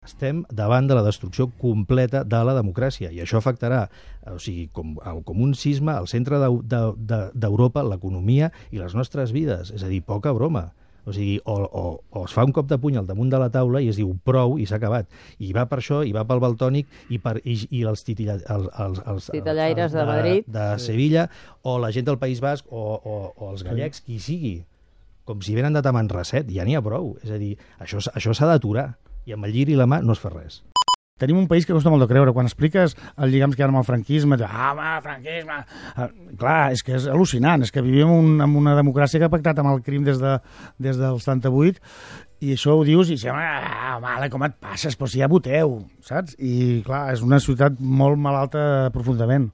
Estem davant de la destrucció completa de la democràcia i això afectarà, o sigui, com un sisme al centre d'Europa, l'economia i les nostres vides. És a dir, poca broma. O sigui, o es fa un cop de puny al damunt de la taula i es diu prou i s'ha acabat. I va per això, i va pel Valtònic i els titellaires de Madrid, de Sevilla, o la gent del País Basc, o els gallecs, qui sigui. Com si venen de Tamanrasset, ja n'hi ha prou. És a dir, això s'ha d'aturar. I amb el lliri i la mà no es fa res. Tenim un país que costa molt de creure. Quan expliques els lligams que hi ha amb el franquisme, franquisme... Clar, és que és al·lucinant. És que vivim en una democràcia que ha pactat amb el crim des del 78 i això ho dius i home, com et passes? Però si ja voteu, saps? I clar, és una ciutat molt malalta profundament.